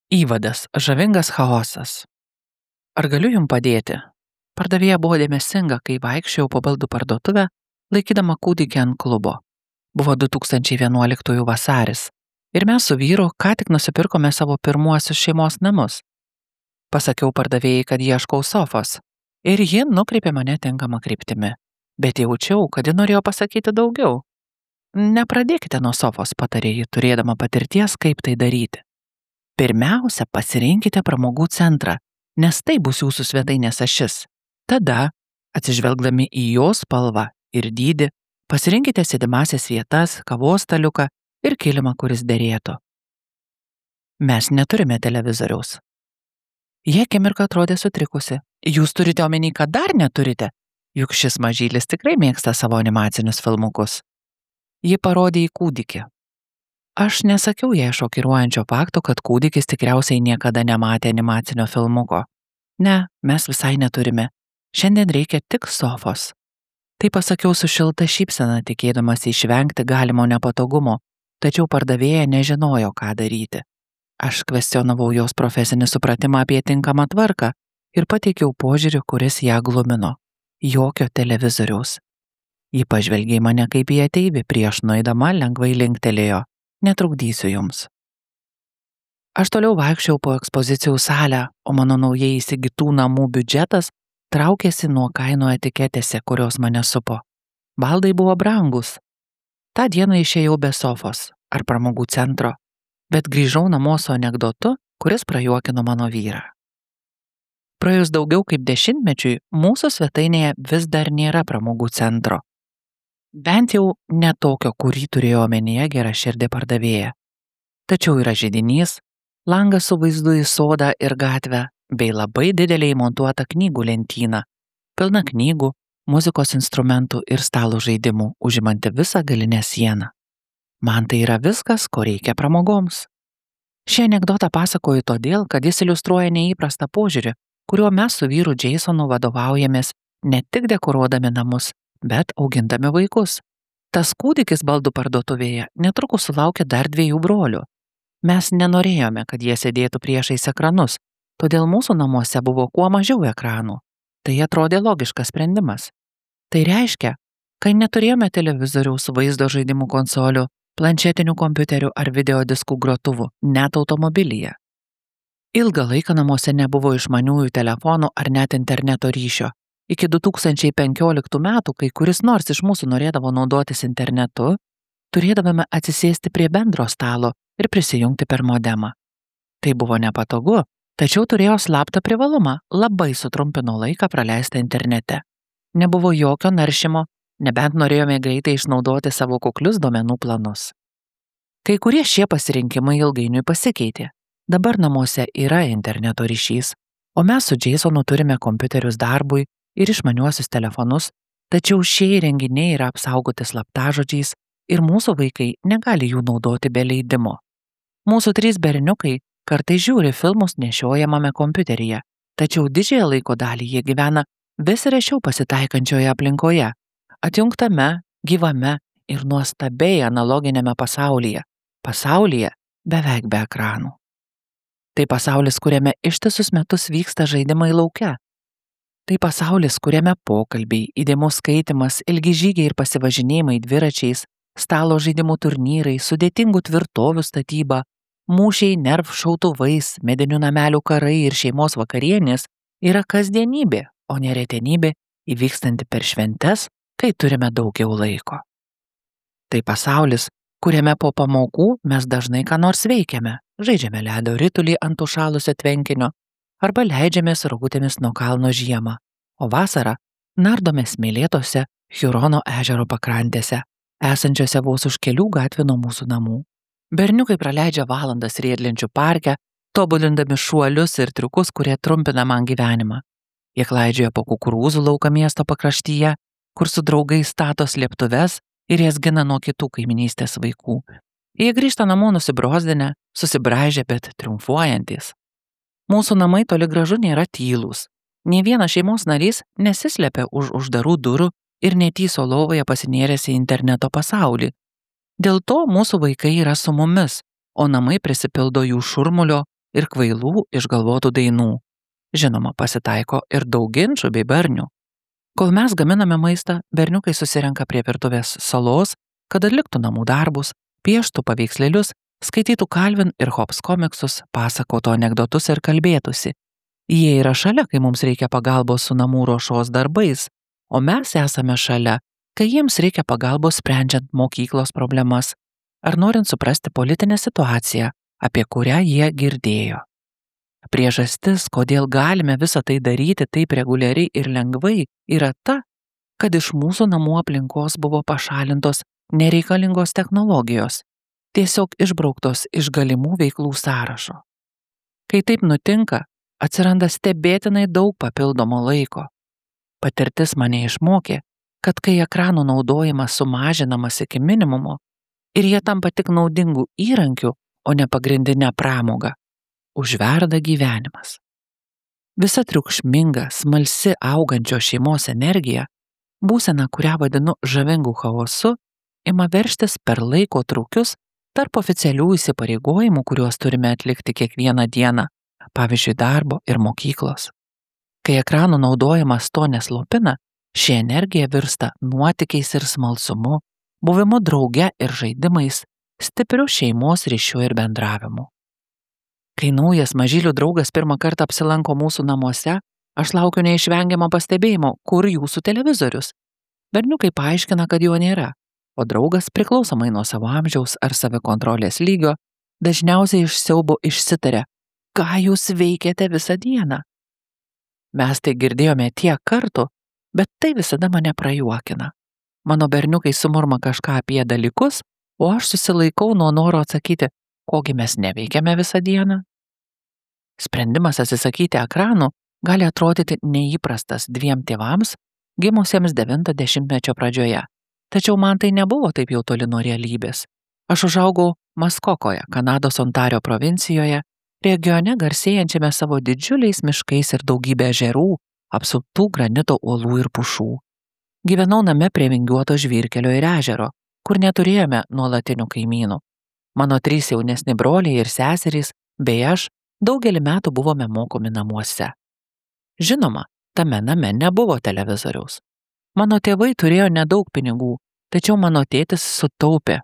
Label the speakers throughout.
Speaker 1: Įvadas – žavingas chaosas. Ar galiu jums padėti? Pardavėja buvo dėmesinga, kai vaikščiojau po baldų parduotuvę, laikydama kūdikį ant klubo. Buvo 2011 vasaris ir mes su vyru ką tik nusipirkome savo pirmuosius šeimos namus. Pasakiau pardavėjai, kad ieškau sofos ir ji nukreipė mane tinkamą kryptimi, bet jaučiau, kad ji norėjo pasakyti daugiau. Nepradėkite nuo sofos, patarė ji, turėdama patirties, kaip tai daryti. Pirmiausia, pasirinkite pramogų centrą, nes tai bus jūsų svetainės ašis. Tada, atsižvelgdami į jos spalvą ir dydį, pasirinkite sėdimąsias vietas, kavos staliuką ir kilimą, kuris derėtų. Mes neturime televizoriaus. Jie akimirką atrodė sutrikusi. Jūs turite omeny, kad dar neturite? Juk šis mažylis tikrai mėgsta savo animacinius filmukus. Ji parodė į kūdikį. Aš nesakiau jai šokiruojančio fakto, kad kūdikis tikriausiai niekada nematė animacinio filmuko. Ne, mes visai neturime. Šiandien reikia tik sofos. Tai pasakiau su šilta šypsena, tikėdamas išvengti galimo nepatogumo, tačiau pardavėja nežinojo, ką daryti. Aš kvestionavau jos profesinį supratimą apie tinkamą tvarką ir pateikiau požiūrį, kuris ją glumino. Jokio televizoriaus. Ji pažvelgė į mane kaip į ateivį, prieš nueidama lengvai linktelėjo. Netrukdysiu jums. Aš toliau vaikščiau po ekspozicijų salę, o mano naujai įsigytų namų biudžetas traukėsi nuo kainų etiketėse, kurios mane supo. Baldai buvo brangus. Ta dieną išėjau be sofos ar pramogų centro, bet grįžau namo su anekdotu, kuris prajuokino mano vyrą. Praėjus daugiau kaip 10 mečiui, mūsų svetainėje vis dar nėra pramogų centro. Bent jau ne tokio, kurį turėjo omenyje geraširdė pardavėja. Tačiau yra židinys, langas su vaizdu į sodą ir gatvę, bei labai didelė įmontuota knygų lentyna, pilna knygų, muzikos instrumentų ir stalo žaidimų, užimanti visą galinę sieną. Man tai yra viskas, ko reikia pramogoms. Šį anekdotą pasakoju todėl, kad jis iliustruoja neįprastą požiūrį, kuriuo mes su vyru Jasonu vadovaujamės ne tik dekoruodami namus, bet augindami vaikus. Tas kūdikis baldų parduotuvėje netrukus sulaukė dar 2 brolių. Mes nenorėjome, kad jie sėdėtų priešais ekranus, todėl mūsų namuose buvo kuo mažiau ekranų. Tai atrodė logiškas sprendimas. Tai reiškia, kai neturėjome televizoriaus, vaizdo žaidimų konsolių, planšetinių kompiuterių ar videodiskų grotuvų, net automobilyje. Ilgą laiką namuose nebuvo išmaniųjų telefonų ar net interneto ryšio. Iki 2015 metų, kai kuris nors iš mūsų norėdavo naudotis internetu, turėdavome atsisėsti prie bendro stalo ir prisijungti per modemą. Tai buvo nepatogu, tačiau turėjo slaptą privalumą, labai sutrumpino laiką praleistą internete. Nebuvo jokio naršymo, nebent norėjome greitai išnaudoti savo kuklius duomenų planus. Kai kurie šie pasirinkimai ilgainiui pasikeitė. Dabar namuose yra interneto ryšys, o mes su Jasonu turime kompiuterius darbui ir išmaniuosius telefonus, tačiau šie įrenginiai yra apsaugoti slaptažodžiais ir mūsų vaikai negali jų naudoti be leidimo. Mūsų 3 berniukai kartais žiūri filmus nešiojamame kompiuteryje, tačiau didžiąją laiko dalį jie gyvena vis rečiau pasitaikančioje aplinkoje, atjungtame, gyvame ir nuostabiai analoginėme pasaulyje beveik be ekranų. Tai pasaulis, kuriame ištisus metus vyksta žaidimai lauke. Tai pasaulis, kuriame pokalbiai, įdėmus skaitimas, ilgi žygiai ir pasivažinėjimai dviračiais, stalo žaidimų turnyrai, sudėtingų tvirtovių statyba, mūšiai nerv šautuvais, medinių namelių karai ir šeimos vakarienės yra kasdienybė, o ne retenybė įvykstanti per šventes, kai turime daugiau laiko. Tai pasaulis, kuriame po pamokų mes dažnai ką nors veikiame, žaidžiame ledo ritulį ant užšalusio tvenkinio, arba leidžiamės rogutėmis nuo kalno žiemą, o vasarą nardome smėlėtose Hurono ežero pakrantėse, esančiose vos už kelių gatvių nuo mūsų namų. Berniukai praleidžia valandas riedlenčių parke, tobulindami šuolius ir triukus, kurie trumpina man gyvenimą. Jie klaidžioja po kukurūzų lauką miesto pakraštyje, kur su draugais stato slėptuves ir jas gina nuo kitų kaiminystės vaikų. Jie grįžta namo nusibrozdinę, susibraižę, bet triumfuojantis. Mūsų namai toli gražu nėra tylūs. Nė vienas šeimos narys nesislepia už uždarų durų ir netyso lovoje pasinėręs į interneto pasaulį. Dėl to mūsų vaikai yra su mumis, o namai prisipildo jų šurmulio, ir kvailų išgalvotų dainų. Žinoma, pasitaiko ir daug ginčų bei barnių. Kol mes gaminame maistą, berniukai susirenka prie virtuvės salos, kad atliktų namų darbus, pieštų paveikslėlius, skaitytų Calvin ir Hobbes komiksus, pasakotų anekdotus ir kalbėtųsi. Jie yra šalia, kai mums reikia pagalbos su namų ruošos darbais, o mes esame šalia, kai jiems reikia pagalbos sprendžiant mokyklos problemas ar norint suprasti politinę situaciją, apie kurią jie girdėjo. Priežastis, kodėl galime visą tai daryti taip reguliariai ir lengvai, yra ta, kad iš mūsų namų aplinkos buvo pašalintos nereikalingos technologijos, tiesiog išbrauktos iš galimų veiklų sąrašo. Kai taip nutinka, atsiranda stebėtinai daug papildomo laiko. Patirtis mane išmokė, kad kai ekranų naudojimas sumažinamas iki minimumo ir jie tampa tik naudingų įrankių, o ne pagrindinę pramogą, užverda gyvenimas. Visa triukšminga, smalsi augančios šeimos energija, būsena, kurią vadinu žavingu chaosu, ima veržtis per laiko trūkius tarp oficialių įsipareigojimų, kuriuos turime atlikti kiekvieną dieną, pavyzdžiui, darbo ir mokyklos. Kai ekranų naudojimas to neslopina, ši energija virsta nuotykiais ir smalsumu, buvimu drauge ir žaidimais, stipriu šeimos ryšiu ir bendravimu. Kai naujas mažylių draugas pirmą kartą apsilanko mūsų namuose, aš laukiu neišvengiamą pastebėjimo, kur jūsų televizorius. Berniukai paaiškina, kad jo nėra, o draugas, priklausomai nuo savo amžiaus ar savikontrolės lygio, dažniausiai iš siaubo išsitaria, ką jūs veikiate visą dieną. Mes tai girdėjome tiek kartų, bet tai visada mane prajuokina. Mano berniukai sumurma kažką apie dalykus, o aš susilaikau nuo noro atsakyti, kogi mes neveikiame visą dieną. Sprendimas atsisakyti ekranų gali atrodyti neįprastas dviem tėvams, gimusiems 90-mečio pradžioje. Tačiau man tai nebuvo taip jau toli nuo realybės. Aš užaugau Maskokoje, Kanados Ontario provincijoje, regione garsėjančiame savo didžiuliais miškais ir daugybė ežerų, apsuptų granito uolų ir pušų. Gyvenau name prie vingiuoto žvyrkelio ir ežero, kur neturėjome nuolatinių kaimynų. Mano 3 jaunesni broliai ir seserys, bei aš, daugelį metų buvome mokomi namuose. Žinoma, tame name nebuvo televizoriaus. Mano tėvai turėjo nedaug pinigų, tačiau mano tėtis sutaupė,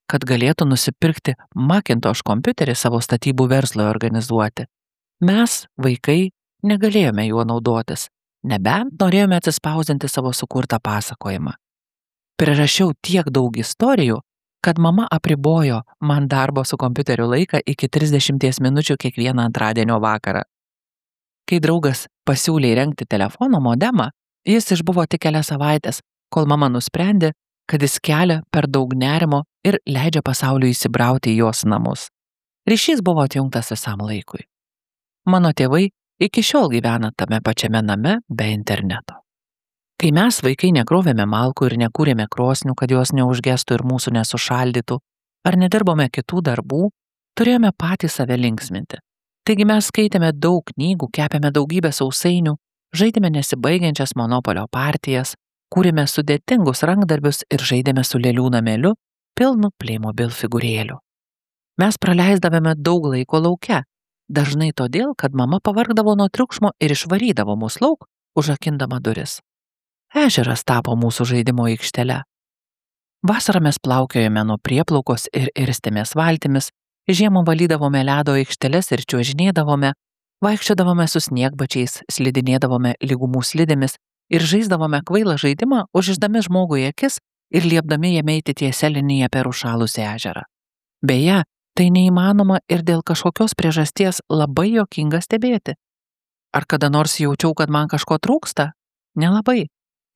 Speaker 1: kad galėtų nusipirkti Macintosh kompiuterį savo statybų verslui organizuoti. Mes, vaikai, negalėjome juo naudotis, nebent norėjome atsispausdinti savo sukurtą pasakojimą. Prirašiau tiek daug istorijų, kad mama apribojo man darbo su kompiuteriu laiką iki 30 minučių kiekvieną antradienio vakarą. Kai draugas pasiūlė įrengti telefono modemą, jis išbuvo tik kelias savaitės, kol mama nusprendė, kad jis kelia per daug nerimo ir leidžia pasauliui įsibrauti į jos namus. Ryšys buvo atjungtas visam laikui. Mano tėvai iki šiol gyvena tame pačiame name be interneto. Kai mes vaikai nekrovėme malkų ir nekūrėme krosnių, kad jos neužgestų ir mūsų nesušaldytų, ar nedirbome kitų darbų, turėjome patys save linksminti. Taigi mes skaitėme daug knygų, kepėme daugybę sausainių, žaidėme nesibaigiančias monopolio partijas, kūrėme sudėtingus rankdarbius ir žaidėme su lėlių nameliu, pilnu Playmobil figūrėlių. Mes praleisdavome daug laiko lauke, dažnai todėl, kad mama pavargdavo nuo triukšmo ir išvarydavo mus lauk, užrakindama duris. Ežeras tapo mūsų žaidimo aikštele. Vasarą mes plaukiojame nuo prieplaukos ir irstėmės valtimis, žiemą valydavome ledo aikšteles ir čiuožinėdavome, vaikščiodavome su sniegbačiais, slidinėdavome lygumų slidėmis ir žaisdavome kvailą žaidimą, užrišdami žmogui akis ir liepdami jame eiti tiesia linija per užšalusį ežerą. Beje, tai neįmanoma ir dėl kažkokios priežasties labai juokinga stebėti. Ar kada nors jaučiau, kad man kažko trūksta? Nelabai.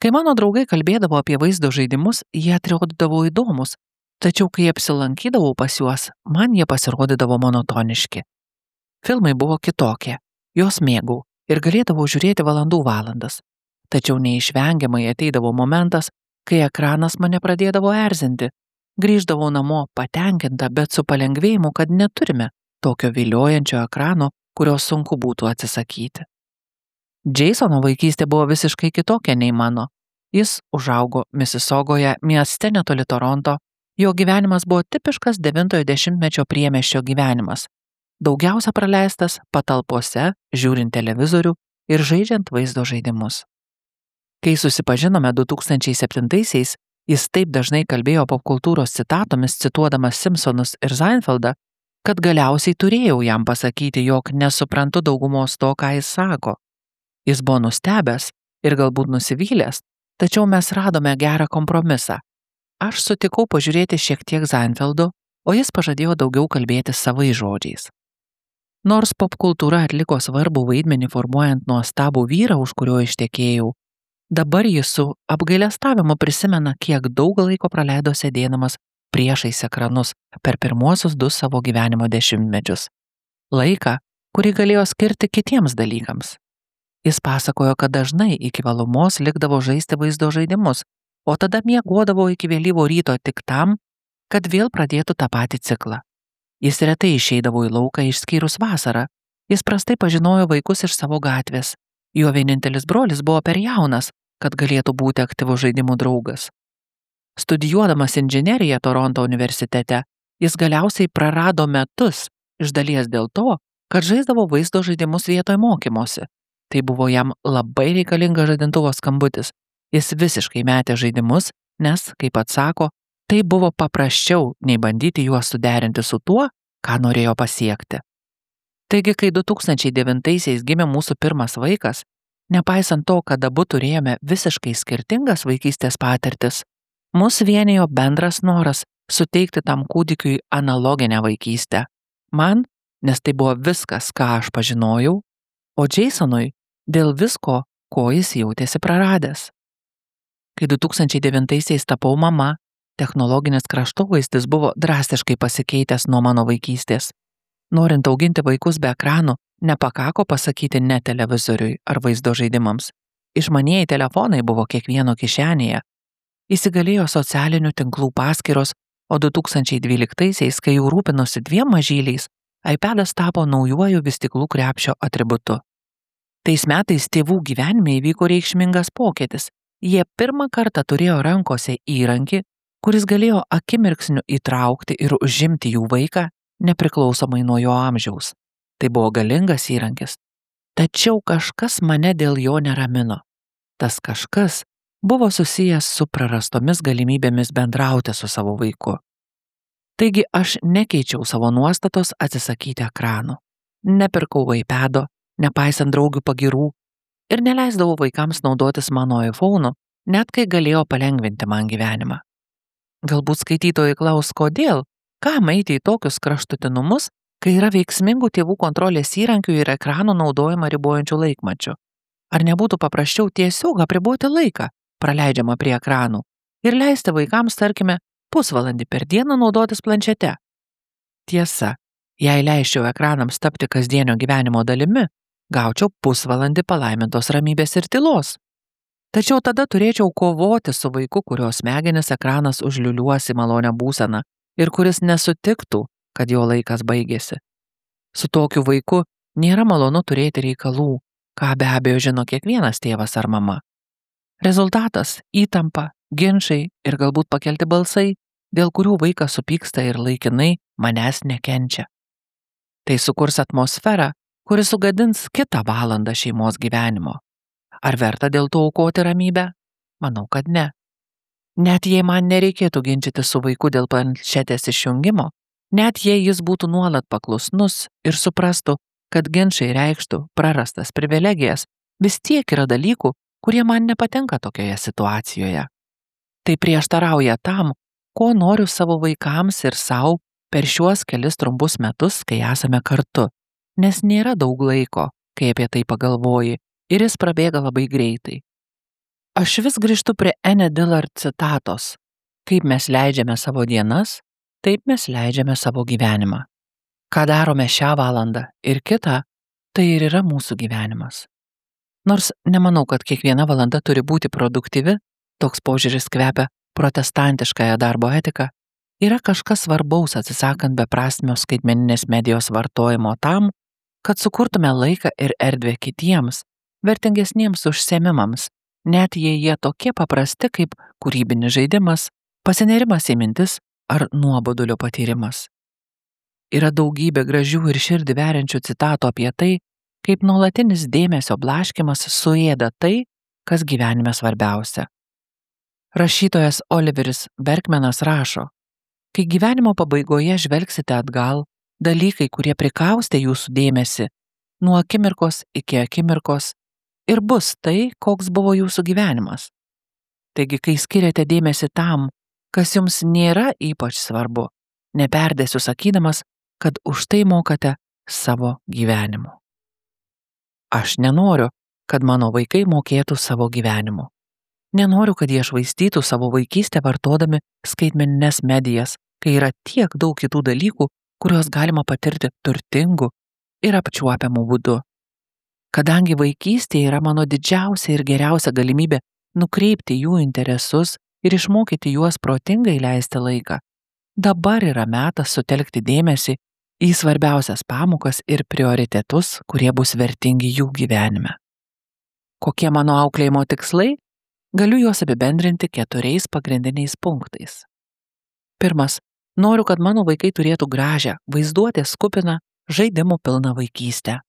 Speaker 1: Kai mano draugai kalbėdavo apie vaizdo žaidimus, jie atrodydavo įdomus, tačiau kai apsilankydavau pas juos, man jie pasirodydavo monotoniški. Filmai buvo kitokie, juos mėgau ir galėdavau žiūrėti valandų valandas, tačiau neišvengiamai ateidavo momentas, kai ekranas mane pradėdavo erzinti. Grįždavau namo patenkinta, bet su palengvėjimu, kad neturime tokio viliojančio ekrano, kurio sunku būtų atsisakyti. Jasono vaikystė buvo visiškai kitokia nei mano. Jis užaugo Missisaugoje, mieste netoli Toronto. Jo gyvenimas buvo tipiškas 90-mečio priemiesčio gyvenimas. daugiausia praleistas patalpose, žiūrint televizorių ir žaidžiant vaizdo žaidimus. Kai susipažinome 2007-aisiais, jis taip dažnai kalbėjo popkultūros citatomis, cituodamas Simpsonus ir Seinfeldą, kad galiausiai turėjau jam pasakyti, jog nesuprantu daugumos to, ką jis sako. Jis buvo nustebęs ir galbūt nusivylęs, tačiau mes radome gerą kompromisą. Aš sutikau pažiūrėti šiek tiek Seinfeldo, o jis pažadėjo daugiau kalbėti savais žodžiais. Nors popkultūra atliko svarbų vaidmenį formuojant nuostabų vyrą, už kurio ištekėjau, dabar jis su apgailestavimu prisimena, kiek daug laiko praleido sėdėdamas priešais ekranus per pirmuosius 2 savo gyvenimo dešimtmečius. Laiką, kurį galėjo skirti kitiems dalykams. Jis pasakojo, kad dažnai iki vėlumos likdavo žaisti vaizdo žaidimus, o tada miegodavo iki vėlyvo ryto tik tam, kad vėl pradėtų tą patį ciklą. Jis retai išeidavo į lauką išskyrus vasarą. Jis prastai pažinojo vaikus iš savo gatvės. Jo vienintelis brolis buvo per jaunas, kad galėtų būti aktyvus žaidimų draugas. Studijuodamas inžineriją Toronto universitete, jis galiausiai prarado metus, iš dalies dėl to, kad žaisdavo vaizdo žaidimus vietoj mokymosi. Tai buvo jam labai reikalingas žadintuvo skambutis. Jis visiškai metė žaidimus, nes, kaip pats sako, tai buvo paprasčiau nei bandyti juos suderinti su tuo, ką norėjo pasiekti. Taigi, kai 2009-aisiais gimė mūsų pirmas vaikas, nepaisant to, kad abu turėjome visiškai skirtingas vaikystės patirtis, mus vienijo bendras noras suteikti tam kūdikiui analoginę vaikystę. Man, nes tai buvo viskas, ką aš pažinojau, o Jasonui dėl visko, ko jis jautėsi praradęs. Kai 2009-aisiais tapau mama, technologinis kraštovaizdis buvo drastiškai pasikeitęs nuo mano vaikystės. Norint auginti vaikus be ekranų, nepakako pasakyti ne televizoriui ar vaizdo žaidimams. Išmanieji telefonai buvo kiekvieno kišenėje. Įsigalėjo socialinių tinklų paskyros, o 2012-aisiais, kai jau rūpinosi 2 mažyliais, iPadas tapo naujuoju vystyklų krepšio atributu. Tais metais tėvų gyvenime įvyko reikšmingas pokytis. Jie pirmą kartą turėjo rankose įrankį, kuris galėjo akimirksniu įtraukti ir užimti jų vaiką, nepriklausomai nuo jo amžiaus. Tai buvo galingas įrankis. Tačiau kažkas mane dėl jo neramino. Tas kažkas buvo susijęs su prarastomis galimybėmis bendrauti su savo vaiku. Taigi aš nekeičiau savo nuostatos atsisakyti ekranų. Nepirkau iPado, nepaisant draugių pagirų, ir neleisdavau vaikams naudotis mano iPhone'u, net kai galėjo palengvinti man gyvenimą. Galbūt skaitytojai klaus, kodėl, kam eiti į tokius kraštutinumus, kai yra veiksmingų tėvų kontrolės įrankių ir ekranų naudojimą ribojančių laikmačių. Ar nebūtų paprasčiau tiesiog apriboti laiką, praleidžiamą prie ekranų, ir leisti vaikams, tarkime, pusvalandį per dieną naudotis planšete? Tiesa, jei leisčiau ekranams tapti kasdienio gyvenimo dalimi, gaučiau pusvalandį palaimintos ramybės ir tylos. Tačiau tada turėčiau kovoti su vaiku, kurio smegenis ekranas užliuliuos į malonę būseną ir kuris nesutiktų, kad jo laikas baigėsi. Su tokiu vaiku nėra malonu turėti reikalų, ką be abejo žino kiekvienas tėvas ar mama. Rezultatas – įtampa, ginčai ir galbūt pakelti balsai, dėl kurių vaikas supyksta ir laikinai manęs nekenčia. Tai sukurs atmosferą, kuri sugadins kitą valandą šeimos gyvenimo. Ar verta dėl to aukoti ramybę? Manau, kad ne. Net jei man nereikėtų ginčyti su vaiku dėl planšetės išjungimo, net jei jis būtų nuolat paklusnus ir suprastų, kad ginčai reikštų prarastas privilegijas, vis tiek yra dalykų, kurie man nepatinka tokioje situacijoje. Tai prieštarauja tam, ko noriu savo vaikams ir savo per šiuos kelis trumpus metus, kai esame kartu, nes nėra daug laiko, kai apie tai pagalvoji, ir jis prabėga labai greitai. Aš vis grįžtu prie Anne Dillard citatos: kaip mes leidžiame savo dienas, taip mes leidžiame savo gyvenimą. Ką darome šią valandą ir kitą, tai ir yra mūsų gyvenimas. Nors nemanau, kad kiekviena valanda turi būti produktyvi, toks požiūris kvepia protestantiškąją darbo etiką, yra kažkas svarbaus atsisakant beprasmio skaitmeninės medijos vartojimo tam, kad sukurtume laiką ir erdvę kitiems, vertingesniems užsiėmimams, net jei jie tokie paprasti kaip kūrybinis žaidimas, pasinėrimas į mintis ar nuobodulio patyrimas. Yra daugybė gražių ir širdį veriančių citatų apie tai, kaip nuolatinis dėmesio blaškymas suėda tai, kas gyvenime svarbiausia. Rašytojas Oliveris Berkmanas rašo, kai gyvenimo pabaigoje žvelgsite atgal, dalykai, kurie prikaustė jūsų dėmesį, nuo akimirkos iki akimirkos, ir bus tai, koks buvo jūsų gyvenimas. Taigi, kai skiriate dėmesį tam, kas jums nėra ypač svarbu, neperdėsiu sakydamas, kad už tai mokate savo gyvenimu. Aš nenoriu, kad mano vaikai mokėtų savo gyvenimu. Nenoriu, kad jie švaistytų savo vaikystę vartodami skaitmenines medijas, kai yra tiek daug kitų dalykų, kuriuos galima patirti turtingu ir apčiuopiamu būdu. Kadangi vaikystė yra mano didžiausia ir geriausia galimybė nukreipti jų interesus ir išmokyti juos protingai leisti laiką, dabar yra metas sutelkti dėmesį į svarbiausias pamokas ir prioritetus, kurie bus vertingi jų gyvenime. Kokie mano auklėjimo tikslai? Galiu juos apibendrinti 4 pagrindiniais punktais. Pirmas. Noriu, kad mano vaikai turėtų gražią, vaizduotės kupiną, žaidimų pilną vaikystę.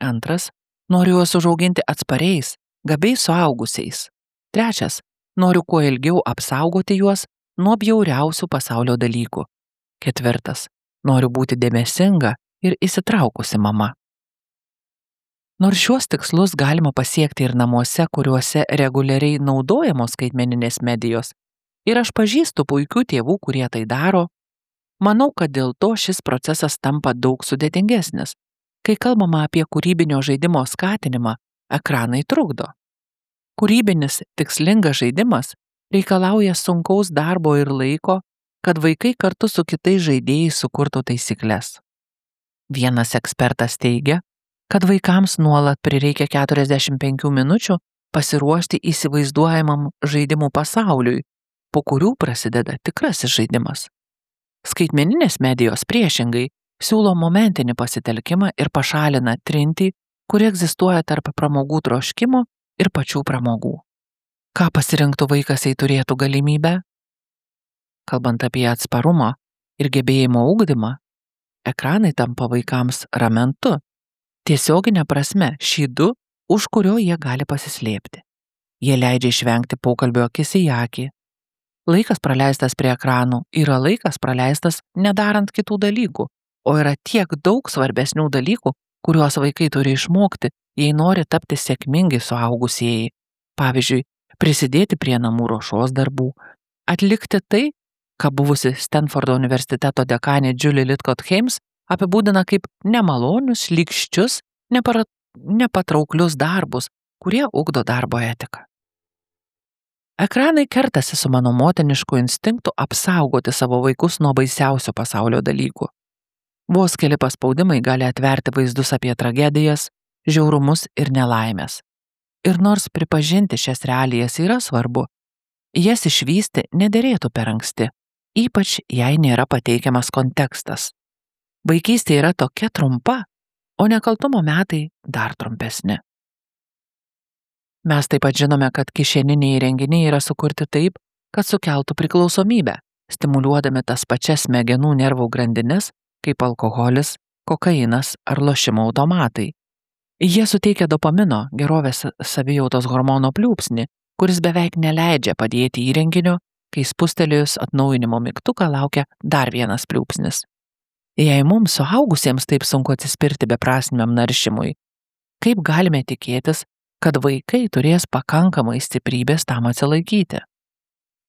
Speaker 1: Antras. Noriu juos užauginti atspariais, gabiais suaugusiais. Trečias. Noriu kuo ilgiau apsaugoti juos nuo bjauriausių pasaulio dalykų. Ketvirtas. Noriu būti dėmesinga ir įsitraukusi mama. Nors šiuos tikslus galima pasiekti ir namuose, kuriuose reguliariai naudojamos skaitmeninės medijos, ir aš pažįstu puikių tėvų, kurie tai daro, manau, kad dėl to šis procesas tampa daug sudėtingesnis. Kai kalbama apie kūrybinio žaidimo skatinimą, ekranai trukdo. Kūrybinis, tikslingas žaidimas reikalauja sunkaus darbo ir laiko, kad vaikai kartu su kitais žaidėjais sukurtų taisykles. Vienas ekspertas teigia, kad vaikams nuolat prireikia 45 minučių pasiruošti įsivaizduojamam žaidimų pasauliui, po kurių prasideda tikrasis žaidimas. Skaitmeninės medijos priešingai siūlo momentinį pasitelkimą ir pašalina trintį, kuri egzistuoja tarp pramogų troškimo ir pačių pramogų. Ką pasirinktų vaikas, jei turėtų galimybę? Kalbant apie atsparumą ir gebėjimo ugdymą, ekranai tampa vaikams ramentu, tiesioginė prasme šydu, už kurio jie gali pasislėpti. Jie leidžia išvengti pokalbio akis į akį. Laikas praleistas prie ekranų yra laikas praleistas nedarant kitų dalykų, o yra tiek daug svarbesnių dalykų, kuriuos vaikai turi išmokti, jei nori tapti sėkmingi suaugusieji. Pavyzdžiui, prisidėti prie namų ruošos darbų, atlikti tai, ką buvusi Stanfordo universiteto dekanė Julie Lidcott-Heims apibūdina kaip nemalonius, šlykščius, nepatrauklius darbus, kurie ugdo darbo etiką. Ekranai kertasi su mano motinišku instinktu apsaugoti savo vaikus nuo baisiausių pasaulio dalykų. Vos keli paspaudimai gali atverti vaizdus apie tragedijas, žiaurumus ir nelaimės. Ir nors pripažinti šias realijas yra svarbu, jas išvysti nederėtų per anksti, ypač jei nėra pateikiamas kontekstas. Vaikystė yra tokia trumpa, o nekaltumo metai dar trumpesni. Mes taip pat žinome, kad kišeniniai įrenginiai yra sukurti taip, kad sukeltų priklausomybę, stimuliuodami tas pačias smegenų nervų grandines, kaip alkoholis, kokainas ar lošimo automatai. Jie suteikia dopamino, gerovės savijautos hormono pliūpsnį, kuris beveik neleidžia padėti įrenginio, kai spustelėjus atnaujinimo mygtuką laukia dar vienas pliūpsnis. Jei mums suaugusiems taip sunku atsispirti beprasmiam naršymui, kaip galime tikėtis, kad vaikai turės pakankamai stiprybės tam atsilaikyti?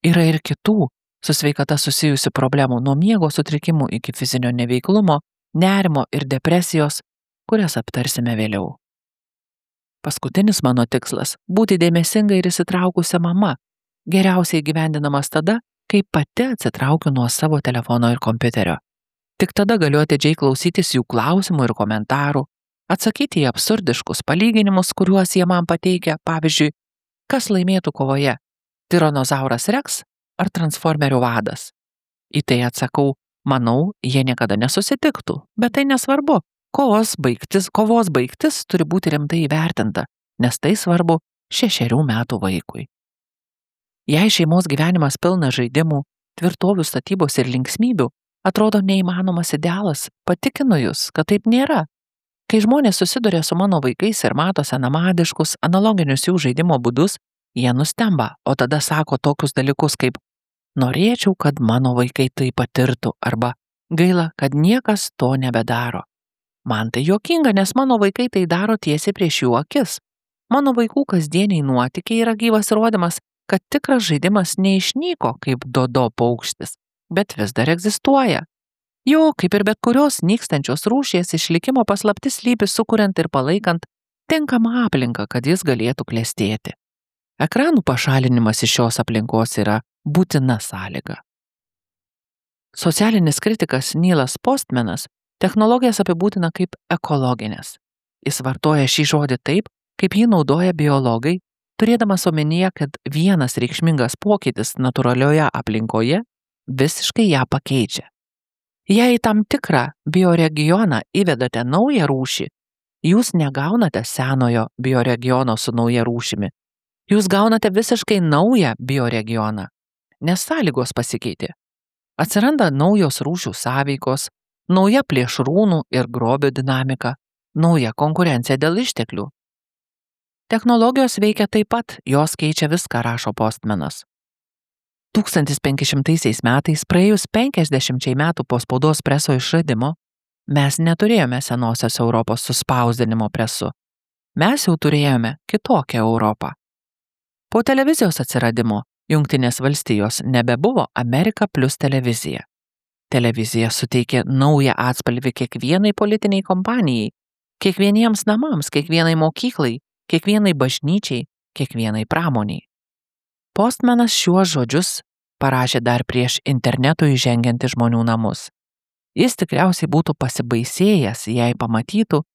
Speaker 1: Yra ir kitų su sveikata susijusių problemų nuo miego sutrikimų iki fizinio neveiklumo, nerimo ir depresijos, kurias aptarsime vėliau. Paskutinis mano tikslas – būti dėmesinga ir įsitraukusia mama, geriausiai įgyvendinamas tada, kai pati atsitraukiu nuo savo telefono ir kompiuterio. Tik tada galiu atidžiai klausytis jų klausimų ir komentarų, atsakyti į absurdiškus palyginimus, kuriuos jie man pateikia, pavyzdžiui, kas laimėtų kovoje – tiranozauras Rex ar transformerių vadas. Į tai atsakau, manau, jie niekada nesusitiktų, bet tai nesvarbu. Kovos baigtis turi būti rimtai įvertinta, nes tai svarbu 6 metų vaikui. Jei šeimos gyvenimas pilnas žaidimų, tvirtovių statybos ir linksmybių, Atrodo neįmanomas idealas, patikinu jūs, kad taip nėra. Kai žmonės susiduria su mano vaikais ir mato senamadiškus, analoginius jų žaidimo būdus, jie nustemba, o tada sako tokius dalykus kaip norėčiau, kad mano vaikai tai patirtų arba gaila, kad niekas to nebedaro. Man tai juokinga, nes mano vaikai tai daro tiesiai prieš jų akis. Mano vaikų kasdieniai nuotykiai yra gyvas įrodymas, kad tikras žaidimas neišnyko kaip dodo paukštis, bet vis dar egzistuoja. Jo, kaip ir bet kurios nykstančios rūšies išlikimo paslaptis slypi sukuriant ir palaikant tinkamą aplinką, kad jis galėtų klestėti. Ekranų pašalinimas iš šios aplinkos yra būtina sąlyga. Socialinis kritikas Neilas Postmanas technologijas apibūdina kaip ekologinės. Jis vartoja šį žodį taip, kaip jį naudoja biologai, turėdamas omenyje, kad vienas reikšmingas pokytis natūralioje aplinkoje visiškai ją pakeičia. Jei į tam tikrą bioregioną įvedate naują rūšį, jūs negaunate senojo bioregiono su nauja rūšimi. Jūs gaunate visiškai naują bioregioną, nes sąlygos pasikeitė. Atsiranda naujos rūšių sąveikos, nauja plėšrūnų ir grobio dinamika, nauja konkurencija dėl išteklių. Technologijos veikia taip pat, jos keičia viską, rašo Postmanas. 1500 metais, praėjus 50 metų po spaudos preso išradimo, mes neturėjome senosios Europos su spausdinimo presu. Mes jau turėjome kitokią Europą. Po televizijos atsiradimo Jungtinės valstijos nebebuvo Amerika plus televizija. Televizija suteikė naują atspalvį kiekvienai politiniai kompanijai, kiekvieniems namams, kiekvienai mokyklai, kiekvienai bažnyčiai, kiekvienai pramoniai. Postmanas šiuos žodžius parašė dar prieš internetui įžengiant į žmonių namus. Jis tikriausiai būtų pasibaisėjęs, jei pamatytų,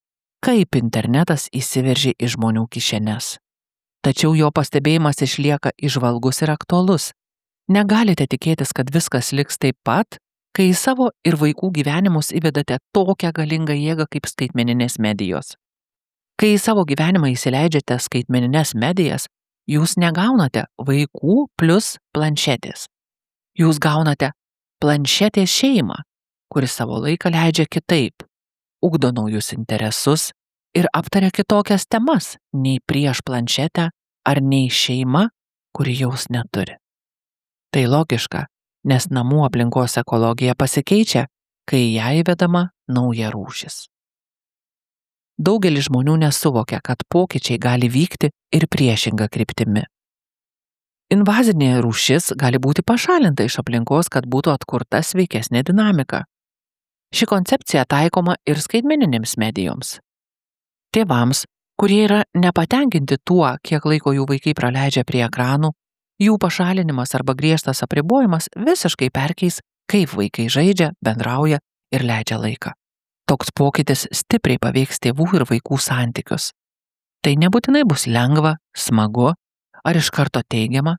Speaker 1: kaip internetas įsiveržė į žmonių kišenes. Tačiau jo pastebėjimas išlieka įžvalgus ir aktualus. Negalite tikėtis, kad viskas liks taip pat, kai į savo ir vaikų gyvenimus įvedate tokią galingą jėgą kaip skaitmeninės medijos. Kai į savo gyvenimą įsileidžiate skaitmenines medijas, jūs negaunate vaikų plus planšetės. Jūs gaunate planšetės šeimą, kuri savo laiką leidžia kitaip, ugdo naujus interesus ir aptaria kitokias temas nei prieš planšetę ar nei šeima, kuri jaus neturi. Tai logiška, nes namų aplinkos ekologija pasikeičia, kai į ją įvedama nauja rūšis. Daugelis žmonių nesuvokia, kad pokyčiai gali vykti ir priešinga kryptimi. Invazinė rūšis gali būti pašalinta iš aplinkos, kad būtų atkurta sveikesnė dinamika. Ši koncepcija taikoma ir skaitmeninėms medijoms. Tėvams, kurie yra nepatenkinti tuo, kiek laiko jų vaikai praleidžia prie ekranų, jų pašalinimas arba griežtas apribojimas visiškai perkeis, kaip vaikai žaidžia, bendrauja ir leidžia laiką. Toks pokytis stipriai paveiks tėvų ir vaikų santykius. Tai nebūtinai bus lengva, smagu ar iš karto teigiama,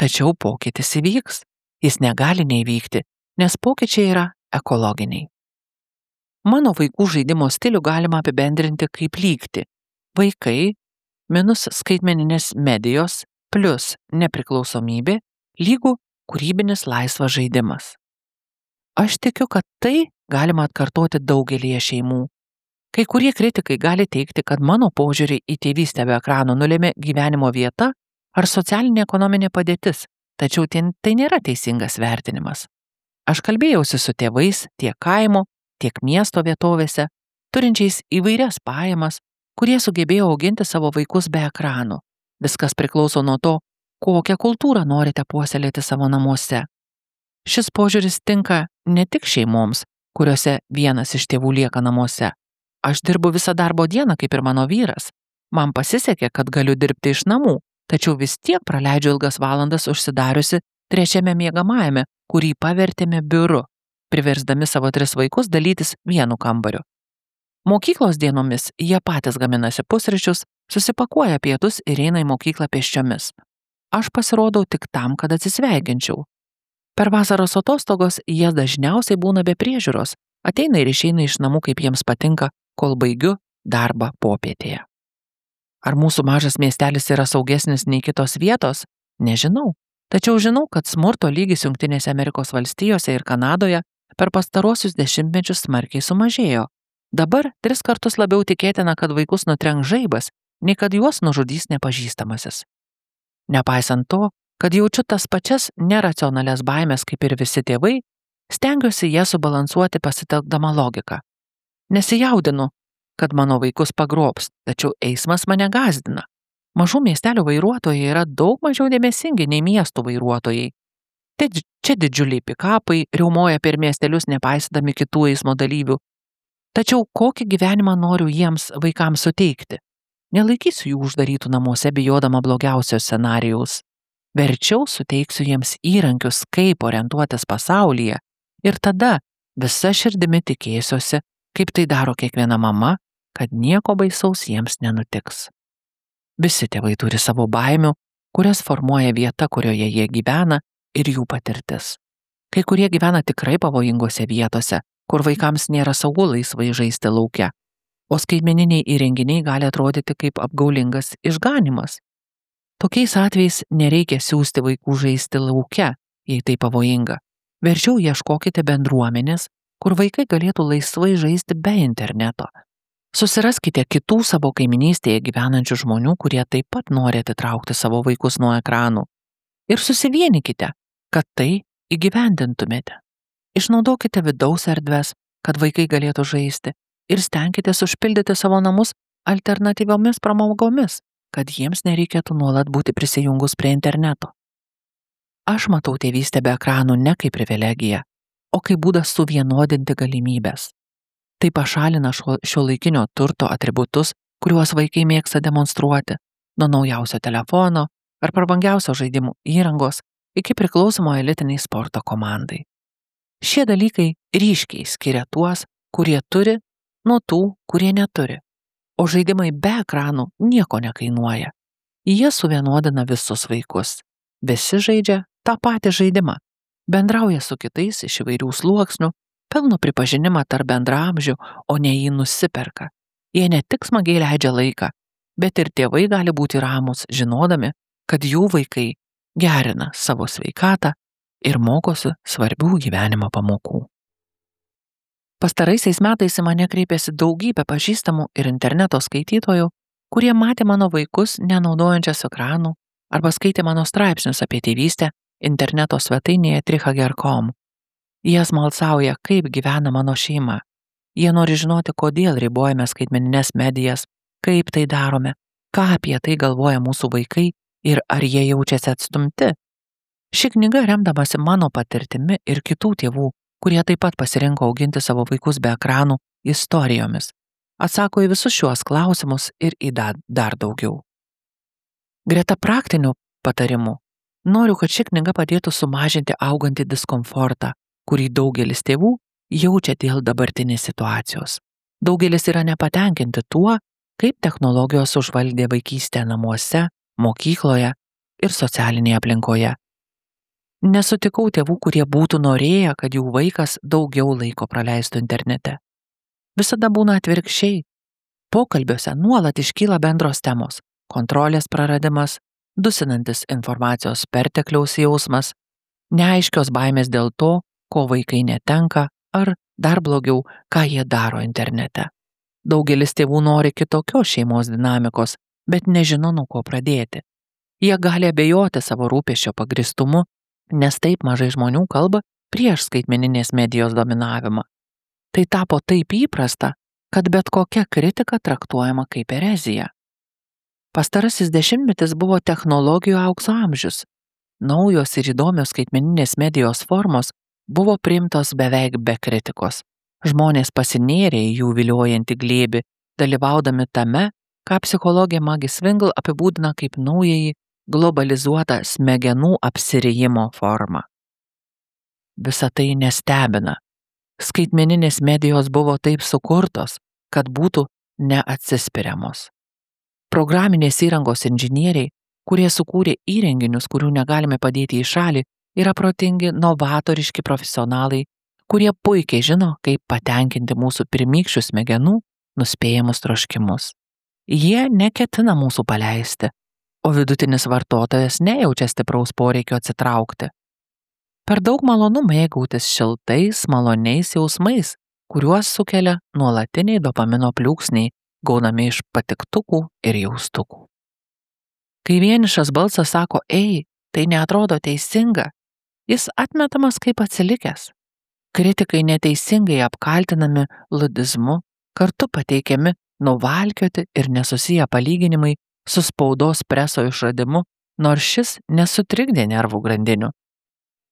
Speaker 1: tačiau pokytis įvyks. Jis negali neįvykti, nes pokyčiai yra ekologiniai. Mano vaikų žaidimo stilių galima apibendrinti kaip lygtį. Vaikai minus skaitmeninės medijos plus nepriklausomybė lygų kūrybinis laisvas žaidimas. Aš tikiu, kad tai galima atkartoti daugelyje šeimų. Kai kurie kritikai gali teikti, kad mano požiūrį į tėvystę be ekranų nulėmė gyvenimo vieta ar socialinė ekonominė padėtis, tačiau tai nėra teisingas vertinimas. Aš kalbėjausi su tėvais tiek kaimo, tiek miesto vietovėse, turinčiais įvairias pajamas, kurie sugebėjo auginti savo vaikus be ekranų. Viskas priklauso nuo to, kokią kultūrą norite puoselėti savo namuose. Šis požiūris tinka ne tik šeimoms, kuriuose vienas iš tėvų lieka namuose. Aš dirbu visą darbo dieną kaip ir mano vyras. Man pasisekė, kad galiu dirbti iš namų, tačiau vis tiek praleidžiu ilgas valandas užsidariusi trečiame miegamajame, kurį pavertėme biuru, priversdami savo 3 vaikus dalytis vienu kambariu. Mokyklos dienomis jie patys gaminasi pusryčius, susipakuoja pietus ir eina į mokyklą pėsčiomis. Aš pasirodau tik tam, kad atsisveikinčiau. Per vasaros atostogos jie dažniausiai būna be priežiūros, ateina ir išeina iš namų, kaip jiems patinka, kol baigiu darbą popietėje. Ar mūsų mažas miestelis yra saugesnis nei kitos vietos? Nežinau. Tačiau žinau, kad smurto lygis Jungtinėse Amerikos valstijose ir Kanadoje per pastarosius 10 smarkiai sumažėjo. Dabar 3 kartus labiau tikėtina, kad vaikus nutrenks žaibas, nei kad juos nužudys nepažįstamasis. Nepaisant to, kad jaučiu tas pačias neracionalias baimės kaip ir visi tėvai, stengiuosi jas subalansuoti pasitelkdama logiką. Nesijaudinu, kad mano vaikus pagrobs, tačiau eismas mane gąsdina. Mažų miestelių vairuotojai yra daug mažiau dėmesingi nei miestų vairuotojai. Tai čia didžiuliai pikapai riaumoja per miestelius nepaisydami kitų eismo dalyvių. Tačiau kokį gyvenimą noriu jiems vaikams suteikti? Nelaikysiu jų uždarytų namuose bijodama blogiausio scenarijaus. Verčiau suteiksiu jiems įrankius, kaip orientuotis pasaulyje ir tada visa širdimi tikėsiuosi, kaip tai daro kiekviena mama, kad nieko baisaus jiems nenutiks. Visi tėvai turi savo baimių, kurias formuoja vieta, kurioje jie gyvena ir jų patirtis. Kai kurie gyvena tikrai pavojingose vietose, kur vaikams nėra saugu laisvai žaisti lauke, o skaitmeniniai įrenginiai gali atrodyti kaip apgaulingas išganimas. Tokiais atvejais nereikia siųsti vaikų žaisti lauke, jei tai pavojinga. Verčiau ieškokite bendruomenės, kur vaikai galėtų laisvai žaisti be interneto. Susiraskite kitų savo kaiminystėje gyvenančių žmonių, kurie taip pat nori atitraukti savo vaikus nuo ekranų. Ir susivienikite, kad tai įgyvendintumėte. Išnaudokite vidaus erdves, kad vaikai galėtų žaisti ir stenkitės užpildyti savo namus alternatyviomis pramogomis, kad jiems nereikėtų nuolat būti prisijungus prie interneto. Aš matau tėvystę be ekranų ne kaip privilegiją, o kaip būdas suvienodinti galimybės. Tai pašalina šiuolaikinio turto atributus, kuriuos vaikai mėgsta demonstruoti, nuo naujausio telefono ar prabangiausio žaidimų įrangos iki priklausomo elitiniai sporto komandai. Šie dalykai ryškiai skiria tuos, kurie turi, nuo tų, kurie neturi. O žaidimai be ekranų nieko nekainuoja. Jie suvienodina visus vaikus. Visi žaidžia tą patį žaidimą. Bendrauja su kitais iš įvairių sluoksnių, pelno pripažinimą tarp bendraamžių, o ne jį nusiperka. Jie ne tik smagiai leidžia laiką, bet ir tėvai gali būti ramūs, žinodami, kad jų vaikai gerina savo sveikatą ir mokosi svarbių gyvenimo pamokų. Pastaraisiais metais į mane kreipėsi daugybė pažįstamų ir interneto skaitytojų, kurie matė mano vaikus nenaudojančias ekranų arba skaitė mano straipsnius apie tėvystę interneto svetainėje trihager.com. Jie smalsauja, kaip gyvena mano šeima. Jie nori žinoti, kodėl ribojame skaitmenines medijas, kaip tai darome, ką apie tai galvoja mūsų vaikai ir ar jie jaučiasi atstumti. Ši knyga, remdamasi mano patirtimi ir kitų tėvų, kurie taip pat pasirinko auginti savo vaikus be ekranų, istorijomis, atsako į visus šiuos klausimus ir į dar daugiau. Greta praktinių patarimų, noriu, kad ši knyga padėtų sumažinti augantį diskomfortą, kurį daugelis tėvų jaučia dėl dabartinės situacijos. Daugelis yra nepatenkinti tuo, kaip technologijos užvaldė vaikystę namuose, mokykloje ir socialinėje aplinkoje. Nesutikau tėvų, kurie būtų norėję, kad jų vaikas daugiau laiko praleistų internete. Visada būna atvirkščiai. Pokalbiuose nuolat iškyla bendros temos – kontrolės praradimas, dusinantis informacijos pertekliaus jausmas, neaiškios baimės dėl to, ko vaikai netenka, ar dar blogiau, ką jie daro internete. Daugelis tėvų nori kitokios šeimos dinamikos, bet nežino, nuo ko pradėti. Jie gali abejoti savo rūpesčio pagristumu, nes taip mažai žmonių kalba prieš skaitmeninės medijos dominavimą. Tai tapo taip įprasta, kad bet kokia kritika traktuojama kaip erezija. Pastarasis dešimtmetis buvo technologijų aukso amžius. Naujos ir įdomios skaitmeninės medijos formos buvo priimtos beveik be kritikos. Žmonės pasinėrė į jų viliojantį glėbį, dalyvaudami tame, ką psichologė Maggie Swingle apibūdina kaip naująjį globalizuotą smegenų apsirijimo formą. Visa tai nestebina. Skaitmeninės medijos buvo taip sukurtos, kad būtų neatsispiriamos. Programinės įrangos inžinieriai, kurie sukūrė įrenginius, kurių negalime padėti į šalį, yra protingi, novatoriški profesionalai, kurie puikiai žino, kaip patenkinti mūsų pirmykščių smegenų nuspėjamus troškimus. Jie neketina mūsų paleisti, o vidutinis vartotojas nejaučia stipraus poreikio atsitraukti. Per daug malonu mėgautis šiltais, maloniais jausmais, kuriuos sukelia nuolatiniai dopamino pliūpsniai, gaunami iš patiktukų ir jaustukų. Kai vienišas balsas sako, ei, tai neatrodo teisinga, jis atmetamas kaip atsilikęs. Kritikai neteisingai apkaltinami ludizmu, kartu pateikiami nuvalkioti ir nesusiję palyginimai su spaudos preso išradimu, nors šis nesutrikdė nervų grandinių.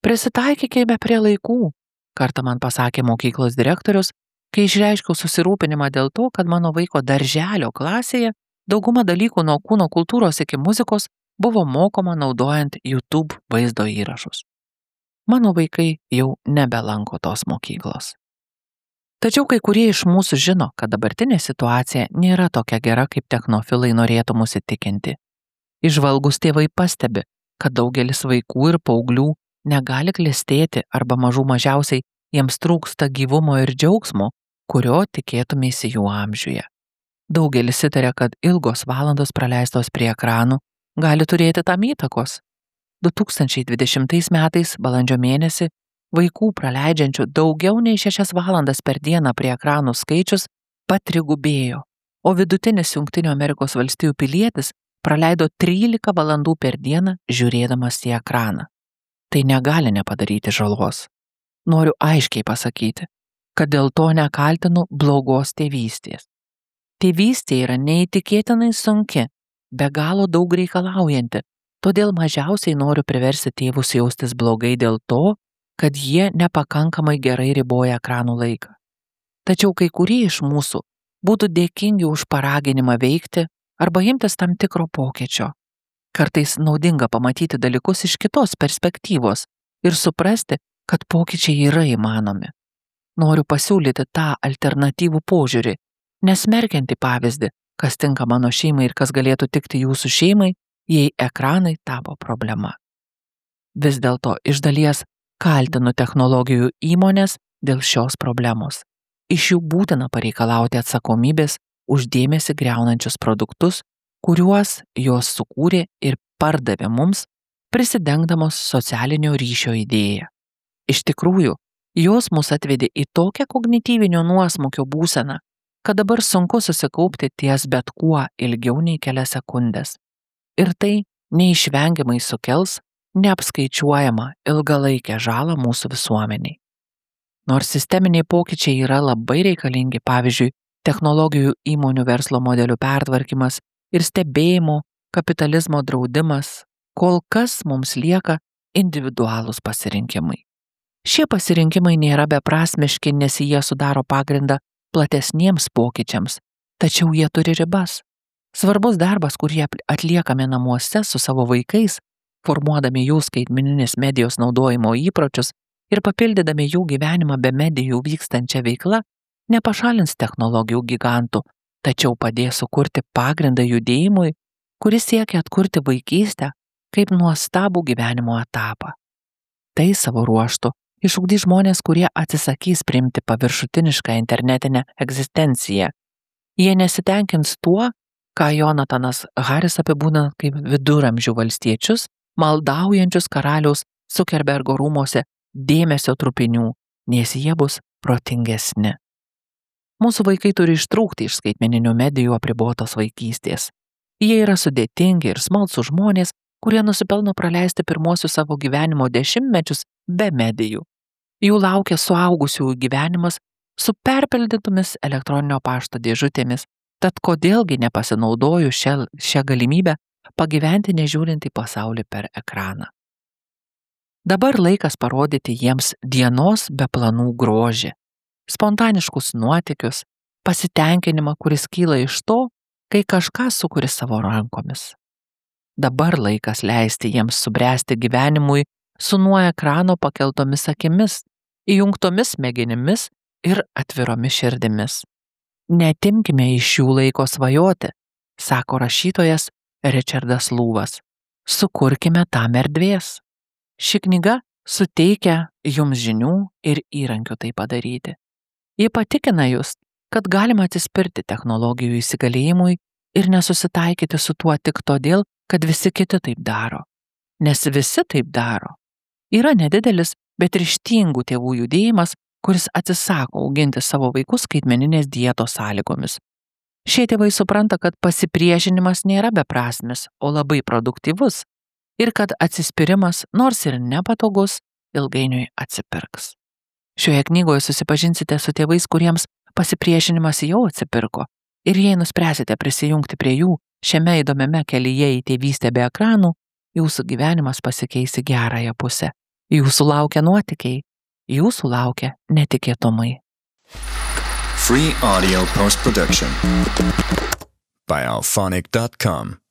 Speaker 1: Prisitaikykime prie laikų, kartą man pasakė mokyklos direktorius, kai išreiškiau susirūpinimą dėl to, kad mano vaiko darželio klasėje dauguma dalykų nuo kūno kultūros iki muzikos buvo mokoma naudojant YouTube vaizdo įrašus. Mano vaikai jau nebelanko tos mokyklos. Tačiau kai kurie iš mūsų žino, kad dabartinė situacija nėra tokia gera, kaip technofilai norėtų mus įtikinti. Įžvalgus tėvai pastebi, kad daugelis vaikų ir paauglių negali klestėti arba mažų mažiausiai jiems trūksta gyvumo ir džiaugsmo, kurio tikėtumėsi jų amžiuje. Daugelis įtaria, kad ilgos valandos praleistos prie ekranų gali turėti tam įtakos. 2020 metais balandžio mėnesį vaikų praleidžiančių daugiau nei 6 valandas per dieną prie ekranų skaičius patrigubėjo, o vidutinis Jungtinių Amerikos valstijų pilietis praleido 13 valandų per dieną žiūrėdamas į ekraną. Tai negali nepadaryti žalos. Noriu aiškiai pasakyti, kad dėl to nekaltinu blogos tėvystės. Tėvystė yra neįtikėtinai sunki, be galo daug reikalaujanti, todėl mažiausiai noriu priversti tėvus jaustis blogai dėl to, kad jie nepakankamai gerai riboja ekranų laiką. Tačiau kai kurie iš mūsų būtų dėkingi už paraginimą veikti arba imtis tam tikro pokyčio. Kartais naudinga pamatyti dalykus iš kitos perspektyvos ir suprasti, kad pokyčiai yra įmanomi. Noriu pasiūlyti tą alternatyvų požiūrį, nesmerkiantį pavyzdį, kas tinka mano šeimai ir kas galėtų tikti jūsų šeimai, jei ekranai tapo problema. Vis dėlto iš dalies kaltinu technologijų įmonės dėl šios problemos. Iš jų būtina pareikalauti atsakomybės už dėmesį griaunančius produktus, kuriuos jos sukūrė ir pardavė mums, prisidengdamos socialinio ryšio idėją. Iš tikrųjų, jos mus atvedė į tokią kognityvinio nuosmukio būseną, kad dabar sunku susikaupti ties bet kuo ilgiau nei kelias sekundės. Ir tai neišvengiamai sukels neapskaičiuojamą ilgalaikę žalą mūsų visuomeniai. Nors sisteminiai pokyčiai yra labai reikalingi, pavyzdžiui, technologijų įmonių verslo modelių pertvarkymas ir stebėjimo kapitalizmo draudimas, kol kas mums lieka individualūs pasirinkimai. Šie pasirinkimai nėra beprasmiški, nes jie sudaro pagrindą platesniems pokyčiams, tačiau jie turi ribas. Svarbus darbas, kurį atliekame namuose su savo vaikais, formuodami jų skaitmeninės medijos naudojimo įpročius ir papildydami jų gyvenimą be medijų vykstančią veiklą, nepašalins technologijų gigantų, tačiau padės sukurti pagrindą judėjimui, kuris siekia atkurti vaikystę kaip nuostabų gyvenimo etapą. Tai savo ruožtu išugdys žmonės, kurie atsisakys priimti paviršutinišką internetinę egzistenciją. Jie nesitenkins tuo, ką Jonatanas Haris apibūdina kaip viduramžių valstiečius, maldaujančius karaliaus Zuckerbergo rūmose dėmesio trupinių, nes jie bus protingesni. Mūsų vaikai turi ištrūkti iš skaitmeninių medijų apribotos vaikystės. Jie yra sudėtingi ir smalsūs žmonės, kurie nusipelno praleisti pirmosius savo gyvenimo dešimtmečius be medijų. Jų laukia suaugusiųjų gyvenimas su perpildytomis elektroninio pašto dėžutėmis, tad kodėlgi nepasinaudoju šią galimybę pagyventi nežiūrint į pasaulį per ekraną. Dabar laikas parodyti jiems dienos be planų grožį, spontaniškus nuotykius, pasitenkinimą, kuris kyla iš to, kai kažką sukuri savo rankomis. Dabar laikas leisti jiems subręsti gyvenimui su nuo ekrano pakeltomis akimis, įjungtomis smegenimis ir atviromis širdimis. Neatimkime iš jų laiko svajoti, sako rašytojas Richardas Lūvas. Sukurkime tam erdvės. Ši knyga suteikia jums žinių ir įrankių tai padaryti. Ji patikina jūs, kad galima atsispirti technologijų įsigalėjimui ir nesusitaikyti su tuo tik todėl, kad visi kiti taip daro. Nes visi taip daro. Yra nedidelis bet ryžtingų tėvų judėjimas, kuris atsisako auginti savo vaikus skaitmeninės dietos sąlygomis. Šie tėvai supranta, kad pasipriešinimas nėra beprasmis, o labai produktyvus ir kad atsispyrimas, nors ir nepatogus, ilgainiui atsipirks. Šioje knygoje susipažinsite su tėvais, kuriems pasipriešinimas jau atsipirko ir jei nuspręsite prisijungti prie jų šiame įdomiame kelyje į tėvystę be ekranų, jūsų gyvenimas pasikeis į gerąją pusę. Jūsų laukia nuotykiai, jūsų laukia netikėtumai.
Speaker 2: Free audio post-production by alphonic.com